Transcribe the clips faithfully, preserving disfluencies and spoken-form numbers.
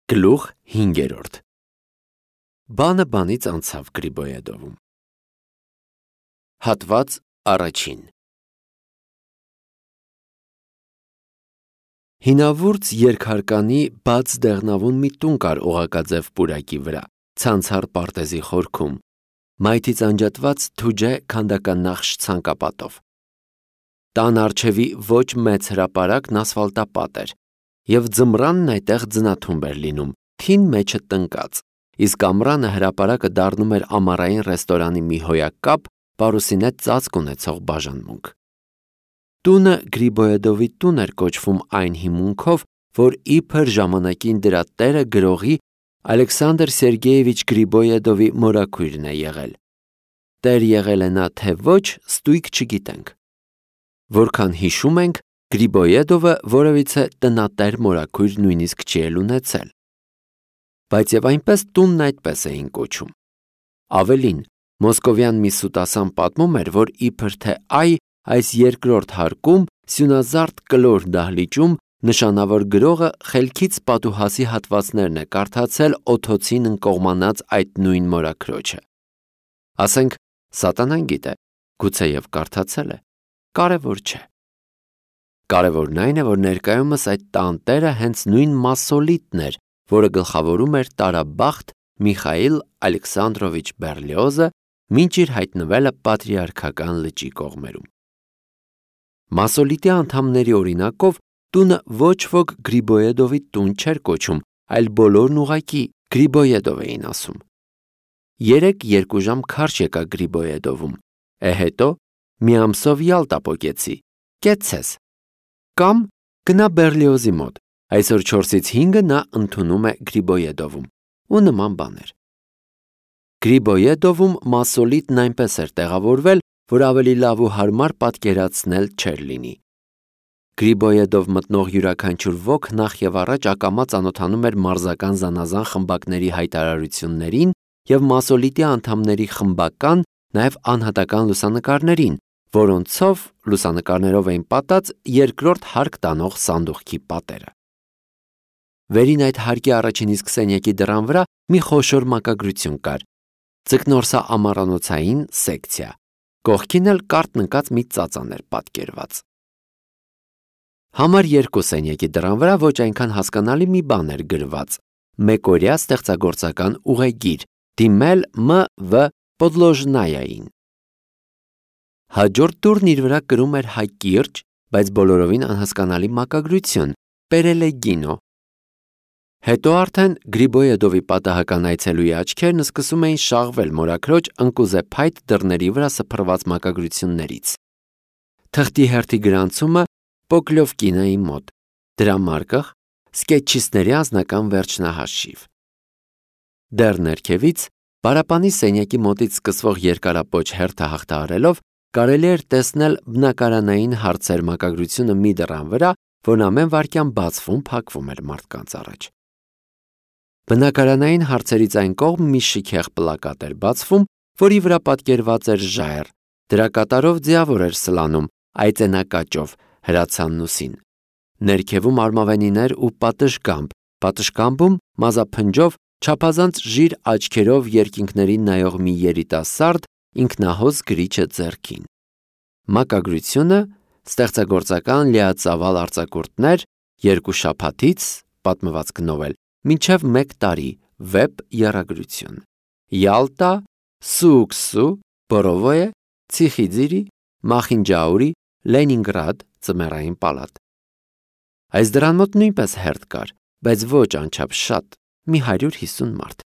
Գլուխ հինգերորդ Բանը բանից անցավ Գրիբոյեդովում։ Հատված առաջին Հինավուրց երկհարկանի բաց դեղնավուն մի տուն կար օղակաձև պուրակի վրա, ցանցառ պարտեզի խորքում, մայթից անջատված թուջե քանդական նախշ ցանկապատով։ Տան առջևի ոչ մեծ հրապարակն ասֆալտապատ էր, և ձմռանն այդտեղ ձնաթումբ էր լինում, թին մեջը տնկած, իսկ ամռանը հրապարակը դառնում էր ամառային ռեստորանի մի հոյակ կապ, պարուսինե ծածկ ունեցող բաժանմունք։ Տունը Գրիբոյեդովի տուն էր կոչվում այն հիմունքով, որ իբր ժամանակին դրա տերը գրողի Ալեքսանդր Սերգեևիչ Գրիբոյեդովի մորաքույրն է եղել։ Տեր եղել է նա թե ոչ, ստույգ չգիտենք։ Որքան հիշում ենք, Գրիբոյեդովը որևիցե տնատեր մորաքույր նույնիսկ չի էլ ունեցել։ Բայց և այնպես տունն այդպես էին կոչում։ Ավելին, մոսկովյան մի սուտասան պատմում էր, որ իբր թե այ այս երկրորդ հարկում սյունազարդ կլոր դահլիճում նշանավոր գրողը խելքից պատուհասի հատվածներն է կարդացել օդոցին ընկողմանած այդ նույն մորաքրոջը։ Ասենք, սատանան գիտե, գուցեև կարդացել է, կարևոր չէ։ Կարևորն այն է, որ ներկայումս այդ տանտերը հենց նույն մասոլիտն էր, որը գլխավորում էր տարաբախտ Միխայիլ Ալեքսանդրովիչ Բերլիոզը, մինչ իր հայտնվելը պատրիարքական լճի կողմերում։ Մասոլիտի անդամների օրինակով տունը ոչ ոք Գրիբոյեդովի տուն չէր կոչում, այլ բոլորն ուղղակի Գրիբոյեդով էին ասում։ Երեկ երկու ժամ քարշ եկա Գրիբոյեդովում, է հետո մի ամսով Յալտա պոկեցի, կեցցես։ Կամ գնա Բերլիոզի մոտ, այսօր չորսից հինգը նա ընդունում է Գրիբոյեդովում, ու նման բաներ։ Գրիբոյեդովում մասոլիտն այնպես էր տեղավորվել, որ ավելի լավ ու հարմար պատկերացնել չէր լինի։ Գրիբոյեդով մտնող յուրաքանչյուր ոք նախ և առաջ ակամա ծանոթանում էր մարզական զանազան խմբակների հայտարարություններին և մասոլիտի անդամների խմբական, նաև անհատական լուսանկարներին, որոնցով լուսանկարներով էին պատած երկրորդ հարկ տանող սանդուղքի պատերը։ Վերին այդ հարկի առաջին իսկ սենյակի դռան վրա մի խոշոր մակագրություն կար, ձկնորսա ամառանոցային սեկցիա, կողքին էլ կարճ նկած մի ծածան էր պատկերված։ Համար երկու սենյակի դռան վրա ոչ այնքան հասկանալի մի բան էր գրված՝ մեկօրյա ստեղծագործական ուղեգիր, դիմել Մ V Պոդլոժնայային։ Հաջորդ դուռն իր վրա կրում էր հայ կիրճ, բայց բոլորովին անհասկանալի մակագրություն՝ Պերելեգինո։ Հետո արդեն Գրիբոյեդովի պատահական այցելուի աչքերն սկսում էին շաղվել մորաքրոջ ընկուզեփայտ դռների վրա սփռված մակագրություններից։ Թղթի հերթի գրանցումը Պոկլովկինայի մոտ, դրամարկղ, սկետչիստների անձնական վերջնահաշիվ։ Դեռ ներքևից, պարապանի սենյակի մոտից սկսվող երկարապոչ հերթը հաղթահարելով, կարելի էր տեսնել բնակարանային հարցեր մակագրությունը մի դռան վրա, որն ամեն վայրկյան բացվում, փակվում էր մարդկանց առաջ։ Բնակարանային հարցերից այն կողմ մի շքեղ պլակատ էր բացվում, որի վրա պատկերված էր ժայռ, դրա կատարով ձիավոր էր սլանում, այծենակաճով, հրացանուսին։ Ներքևում արմավենիներ ու պատշգամբ, պատշգամբում մազափնջով, չափազանց ժիր աչքերով երկինքներին նայող մի երիտասարդ ինքնահոս գրիչը ձեռքին։ Մակագրությունը ստեղծագործական լիածավալ արձակուրդներ երկու շաբաթից պատմվածք նովել մինչև մեկ տարի վեպ եռագրություն։ Յալտա, Սուքսու, Բորովոյե, Ցիխիձիրի, Մախինջաուրի, Լենինգրադ ձմեռային պալատ։ Այս դրան մոտ նույնպես հերթ կար, բայց ոչ անչափ շատ, մի հարյուր հիսուն մարդ։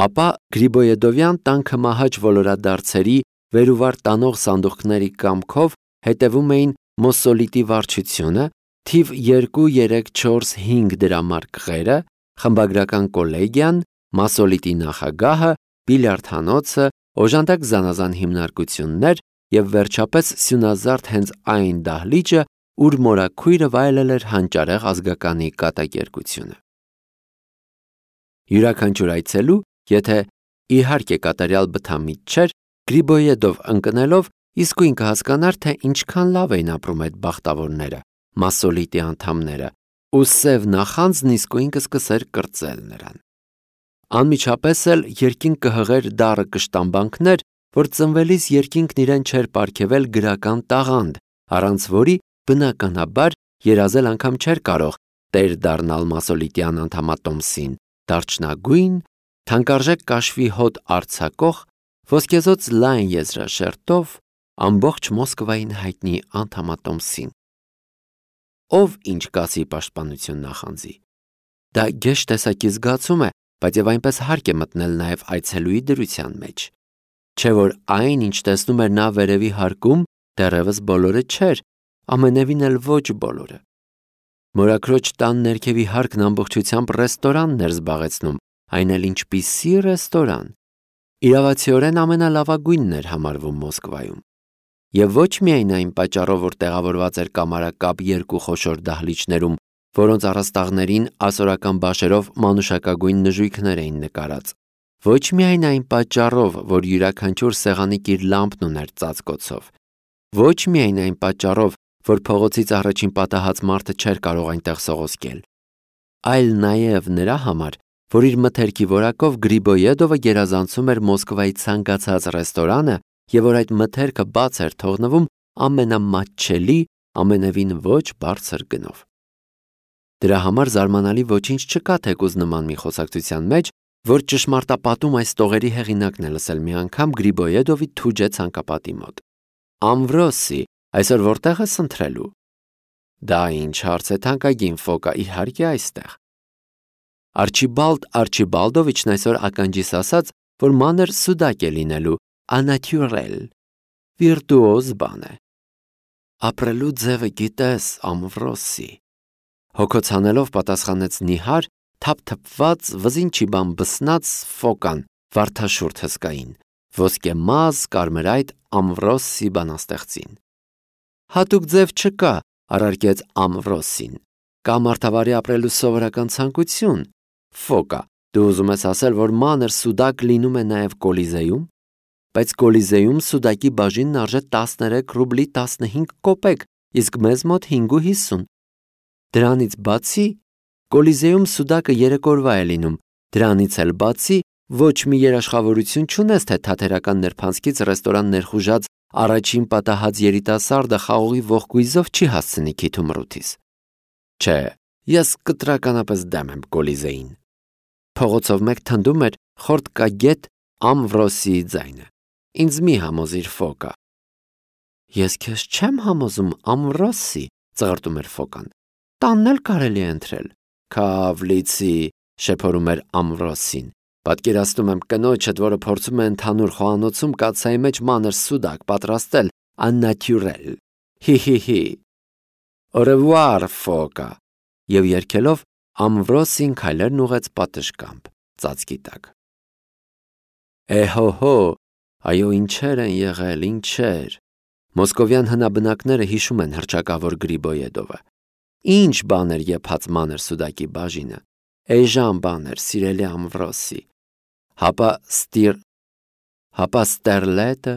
Ապա Գրիբոյեդովյան տան քմահաճ ոլորադարձերի վերուվար տանող սանդուղքների կամքով հետևում էին Մոսոլիտի վարչությունը, թիվ երկու, երեք, չորս, հինգ դրամարկղերը, խմբագրական կոլեգիան, Մասոլիտի նախագահը, բիլիարդհանոցը, օժանդակ զանազան հիմնարկություններ և վերջապես սյունազարդ հենց այն դահլիճը, ուր մորաքույրը վայելել էր հանճարեղ ազգականի կատակերգությունը։ Յուրաքանչյուր այցելու, եթե իհարկե կատարյալ բթամիտ չէր, Գրիբոյեդով ընկնելով իսկույն կհասկանար, թե ինչքան լավ էին ապրում այդ բախտավորները, մասոլիտի անդամները, ու սև նախանձն իսկույն կսկսեր կրծել նրան։ Անմիջապես էլ երկինք կհղեր դառը կշտամբանքներ, որ ծնվելիս երկինքն իրեն չէր պարգևել գրական տաղանդ, առանց որի բնականաբար երազել անգամ չէր կարող տեր դառնալ մասոլիտյան անդամատոմսին, դարչնագույն, թանկարժեք կաշվի հոտ արձակող, ոսկեզոծ լայն եզրաշերտով ամբողջ Մոսկվային հայտնի անդամատոմսին։ Ով ինչ կասի պաշտպանություն նախանձի։ Դա գեշ տեսակի զգացում է, բայց եւ այնպես հարկ է մտնել նաեւ այցելուի դրության մեջ։ Չէ որ այն, ինչ տեսնում էր նա վերևի հարկում, դեռևս բոլորը չէր, ամենևին էլ ոչ բոլորը։ Մորաքրոջ տան ներքևի հարկն ամբողջությամբ ռեստորանն էր զբաղեցնում, այն էլ ինչպիսի ռեստորան։ Իրավացիորեն ամենալավագույնն էր համարվում Մոսկվայում։ Եվ ոչ միայն այն պատճառով, որ տեղավորված էր կամարակապ երկու խոշոր դահլիճներում, որոնց առաստաղներին ասորական բաշերով մանուշակագույն նժույգներ էին նկարած, ոչ միայն այն պատճառով, որ յուրաքանչյուր սեղանիկ իր լամպն ուներ ծածկոցով, ոչ միայն այն պատճառով, որ փողոցից առաջին պատահած մարդը չէր կարող այնտեղ սողոսկել, այլ նաև նրա համար, որ իր մթերքի որակով Գրիբոյեդովը գերազանցում էր Մոսկվայի ցանկացած ռեստորանը և որ այդ մթերքը բաց էր թողնվում ամենամատչելի, ամենևին ոչ բարձր գնով։ Դրա համար զարմանալի ոչինչ չկա թեկուզ նման մի խոսակցության մեջ, որ ճշմարտապատում այս տողերի հեղինակն է լսել մի անգամ Գրիբոյեդովի թուջե ցանկապատի մոտ։ Ամվրոսի, այսօր որտեղ ես ընթրելու։ Դա ինչ հարց է թանկագին Ֆոկա, իհարկե այստեղ։ Արչիբալդ Արչիբալդովիչն այսօր ականջիս ասաց, որ մանր սուդակ է լինելու, անատյուրել, վիրտուոզ բան է։ Ապրելու ձևը գիտես, Ամվրոսի։ Հոգոց հանելով պատասխանեց նիհար, թափթփված, վզինչի բան բսնած Ֆոկան, վարդաշուրթ հսկային, ոսկե մազ, կարմրայտ Ամվրոսի բանաստեղծին։ Հատուկ ձև չկա, առարկեց Ամվրոսին, կա մարդավարի ապրելու սովորական ցանկություն։ Ֆոկա, դու ուզում ես ասել, որ մանր սուդակ լինում է նաև Կոլիզեյում, բայց Կոլիզեյում սուդակի բաժինն արժե տասներեք ռուբլի տասնհինգ կոպեկ, իսկ մեզ մոտ հինգ ու հիսուն։ Դրանից բացի Կոլիզեյում սուդակը երեք օրվա է լինում, դրանից էլ բացի ոչ մի երաշխավորություն չունես, թե թատերական ներփանցքից ռեստորան ներխուժած առաջին պատահած երիտասարդը խաղողի ողկույզով չի հասցնի քիթումռութիս։ Չէ, ես կտրականապես դեմ եմ Կոլիզեին։ Փողոցով մեկ թնդում էր խորտկագետ Ամվրոսիի ձայնը։ Ինձ մի համոզիր Ֆոկա։ Ես քեզ չեմ համոզում Ամվրոսի, ծղրտում էր Ֆոկան։ Տանն էլ կարելի է ընթրել։ Քավլիցի, շեփորում էր Ամվրոսին։ Պատկերացնում եմ կնոջդ, որը փորձում է ընդհանուր խոհանոցում կաթսայի մեջ մանր սուդակ պատրաստել, աննատյուրել։ Հի-հի-հի։ Au revoir, Ֆոկա։ Եվ երգելով Ամվրոսին քայլերն ուղեց պատշգամբ, ծածկի տակ։ Էհո-հո, այո, ինչեր են եղել, ինչեր։ Մոսկովյան հնաբնակները հիշում են հռչակավոր Գրիբոյեդովը։ Ինչ բան էր եփած մանր սուդակի բաժինը։ Էժան բան էր, սիրելի Ամվրոսի։ Հապա ստիր, հապա ստերլետը,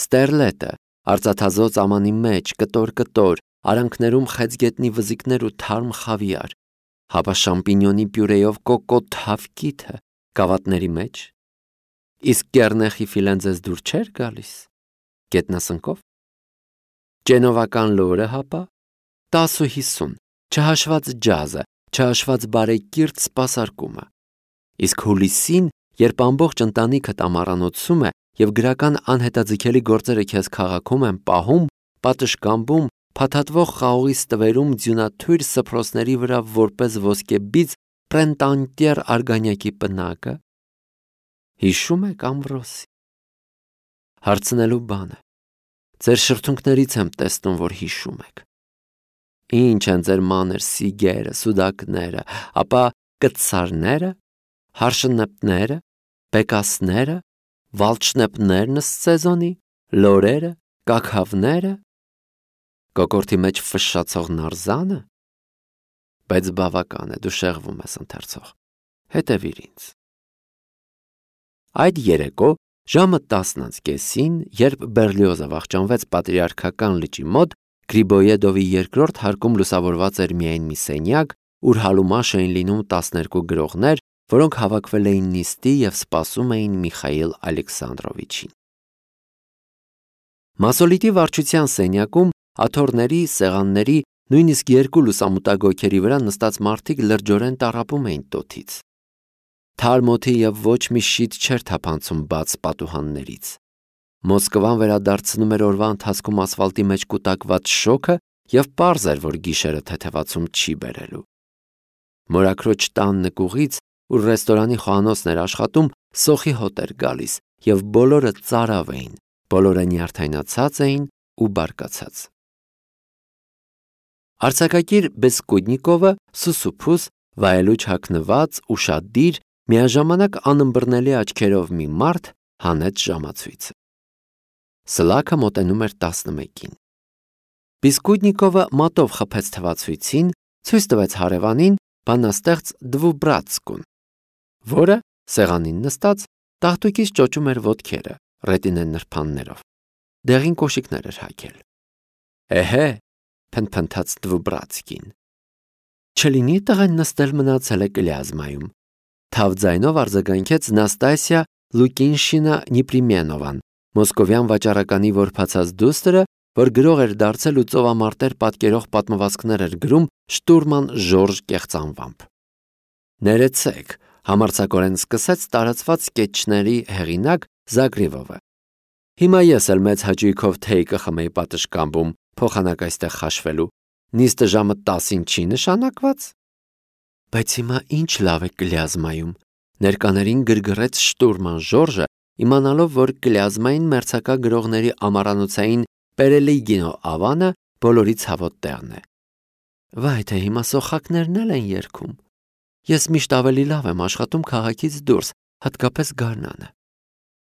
ստերլետը, արծաթազոծ ամանի մեջ, կտոր-կտոր, արանքներում խեցգետնի վզիկներ ու թարմ խավիար, հապա շամպինյոնի պյուրեյով կոկոտ հավկիթը, գավաթների մեջ։ Իսկ կեռնեխի ֆիլեն ձեզ դուր չէր գալիս։ Գետնասնկով։ Ջենովական լորը հապա, տաս ու հիսուն, չհաշված ջազը, չհաշված բարեկիրթ սպասարկումը։ Իսկ հուլիսին, երբ ամբողջ ընտանիքդ ամառանոցում է և գրական անհետաձգելի գործերը քեզ քաղաքում են պահում, պատշգամբում, փաթաթվող խաղողի ստվերում ձյունաթույր սփռոցների վրա որպես ոսկեբիծ պրենտանտյեր արգանյակի պնակը։ Հիշում եք Ամվրոսի։ Հարցնելու բանը։ Ձեր շրթունքներից եմ տեսնում, որ հիշում եք։ Ինչ են ձեր մանր սիգերը, սուդակները, ապա կծարները, հարշնեպները, բեկասները, վալչնեպներն սեզոնի, լորերը, կաքավները, կոկորտի մեջ ֆշշացող նարզանը։ Բայց բավական է, դու շեղվում ես ընթերցող։ Հետևիր ինձ։ Այդ երեկո ժամը տասն անց կեսին, երբ Բերլիոզը վախճանվեց պատրիարքական լճի մոտ, Գրիբոյեդովի երկրորդ հարկում լուսավորված էր միայն մի սենյակ, ուր հալումաշ էին լինում տասներկու գրողներ, որոնք հավաքվել էին նիստի և սպասում էին Միխայիլ Ալեքսանդրովիչին։ Մասոլիտի վարչության սենյակում աթոռների, սեղանների, նույնիսկ երկու լուսամուտագոյքերի վրա նստած մարդիկ լրջորեն տառապում էին տոթից։ Թարմ օդի և ոչ մի շիթ չէր թափանցում բաց պատուհաններից։ Մոսկվան վերադարձնում էր օրվա ընթացքում ասֆալտի մեջ կուտակված շոգը և պարզ էր, որ գիշերը թեթևացում չի բերելու։ Մորաքրոջ տան նկուղից, ուր ռեստորանի խոհանոցն էր աշխատում, սոխի հոտ էր գալիս, և բոլորը ծարավ էին, բոլորը նյարդայնացած էին ու բարկացած։ Արձակագիր Բեսկուդնիկովը սուսուփուս, վայելուչ հագնված, ուշադիր, միաժամանակ անըմբռնելի աչքերով մի մարդ հանեց ժամացույցը։ Սլաքը մոտենում էր տասնմեկին։ Բիսկուդնիկովը մատով խփեց թվացույցին, ցույց տվեց հարևանին բանաստեղծ Դվուբրատսկուն, որը սեղանին նստած տաղտուկից ճոճում էր ոտքերը, ռետինե նրբաններով։ Դեղին կոշիկներ էր հագել։ Էհե, փնթփնթաց Դվուբրատսկին։ Չլինի տղեն նստել մնացել է կլյազմայում։ Թավ ձայնով արձագանքեց Նաստասիա Լուկինշինա Նիպրիմենովան, մոսկովյան վաճառականի որբացած դուստրը, որ գրող էր դարձել ու ծովամարտեր պատկերող պատմվածքներ էր գրում Շտուրման Ժորժ կեղծանվամբ։ Ներեցեք, համարձակորեն սկսեց տարածված սկեթչների հեղինակ Զագրիվովը։ Հիմա ես էլ մեծ հաճույքով թեյ կխմեի պատշգամբում, փոխանակ այստեղ խաշվելու։ Նիստը ժամը տասին չի նշանակված։ Բայց հիմա ինչ լավ է կլյազմայում, ներկաներին գրգռեց Շտուրման Ժորժը, իմանալով, որ կլյազմային մերձակա գրողների ամառանոցային Պերելիգինո ավանը բոլորի ցավոտ տեղն է։ Վայ, թե հիմա սոխակներն էլ են երգում։ Ես միշտ ավելի լավ եմ աշխատում քաղաքից դուրս, հատկապես գարնանը։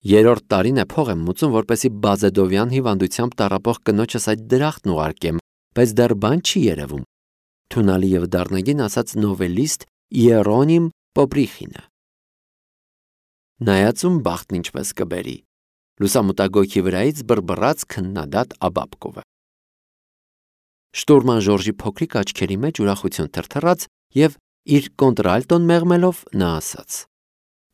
Երրորդ տարին է փող եմ մուծում, որպեսզի Բազեդովյան հիվանդությամբ տառապող կնոջս այդ դրախտն ուղարկեմ, բայց դեռ բան չի երևում։ Թունալի և դառնագին ասաց նովելիստ Իերոնիմ Պոպրիխինը։ Նայածում բախտն ինչպես կբերի։ Լուսամուտագոյքի վրայից բռբռաց քննադատ Աբաբկովը։ Շտուրման Ժորժի փոքրիկ աչքերի մեջ ուրախություն թրթռաց և իր կոնտրալտոն մեղմելով նա ասաց.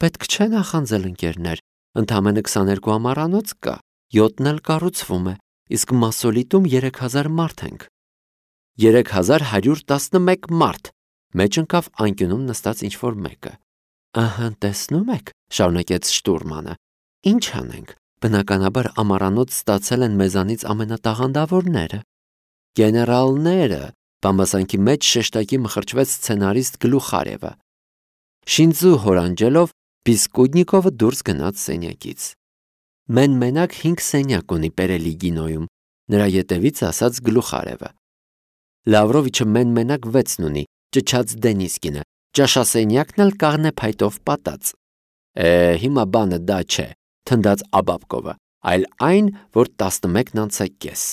Պետք չէ նախանձել, ընկերներ, ընդամենը քսաներկու ամառանոց կա, յոթն էլ կառուցվում է, իսկ Մասոլիտում երեք հազար մարդ ենք։ Երեք հազար հարյուր տասնմեկ մարդ, մեջ ընկավ անկյունում նստած ինչ-որ մեկը։ Ահա, տեսնում եք, շարունակեց Շտուրմանը, ինչ անենք, բնականաբար ամառանոց ստացել են մեզանից ամենատաղանդավորները։ Գեներալները, բամբասանքի մեջ շեշտակի մխրճվեց սցենարիստ Գլուխարևը։ Շինձու հորանջելով Բիսկուդնիկովը դուրս գնաց սենյակից։ Մեն մենակ հինգ սենյակ ունի Պերելիգինոյում, նրա ետևից ասաց Գլուխարևը։ Լավրովիչը մեն մենակ վեցն ունի, ճչաց Դենիսկինը, ճաշասենյակն էլ կաղնե փայտով պատած։ Է, հիմա բանը դա չէ, թնդաց Աբաբկովը, այլ այն, որ տասնմեկն անց է կես։